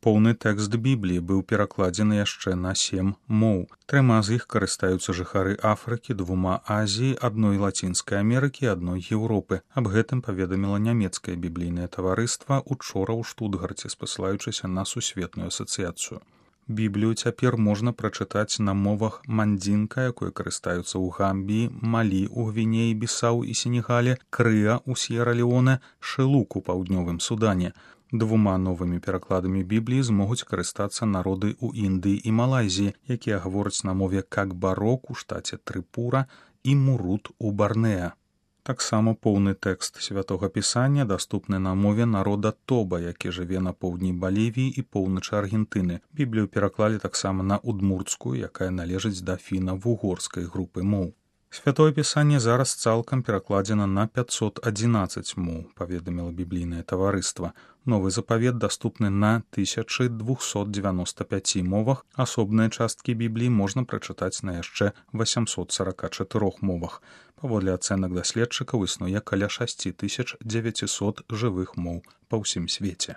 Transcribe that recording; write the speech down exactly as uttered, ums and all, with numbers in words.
Поўны тэкст Бібліі быў перакладзены яшчэ на сем моў. Трыма з іх карыстаюцца жыхары Афрыкі, двума Азіі, адной Лацінскай Амерыкі і адной Еўропы. Аб гэтым паведаміла нямецкае біблійнае таварыства учора ў Штутгарце, спасылаючыся на сусветную асацыяцыю. Біблію цяпер можна прачытаць на мовах мандзінка, якой карыстаюцца ў Гамбіі, Малі ў Гвінеі, Бісау і Сенегале, Крыа ў С'ера-Леоне, Шылук у Паўднёвым Судане. Двума новымі перакладамі Бібліі змогуць карыстацца народы ў Індыі і Малайзіі, якія гавораць на мове Какбарок у штаце Трыпура і Мурут у Барнеа. Таксама поўны тэкст святога пісання даступны на мове народа Тоба, які жыве на поўдні Балівіі і поўначы Аргентыны. Біблію пераклалі таксама на удмурцкую, якая належыць да фіна-вугорскай групы моў. Святое пісанне зараз цалкам перакладзена на пятьсот одиннадцать моў, паведаміла біблійнае таварыства. Новы запавет даступны на тысяча двести девяносто пять мовах, асобныя часткі Бібліі можна прачытаць на яшчэ восемьсот сорок четыре мовах. Паводле ацэнак даследчыкаў існуе каля шесть тысяч девятьсот жывых моў па ўсім свеце.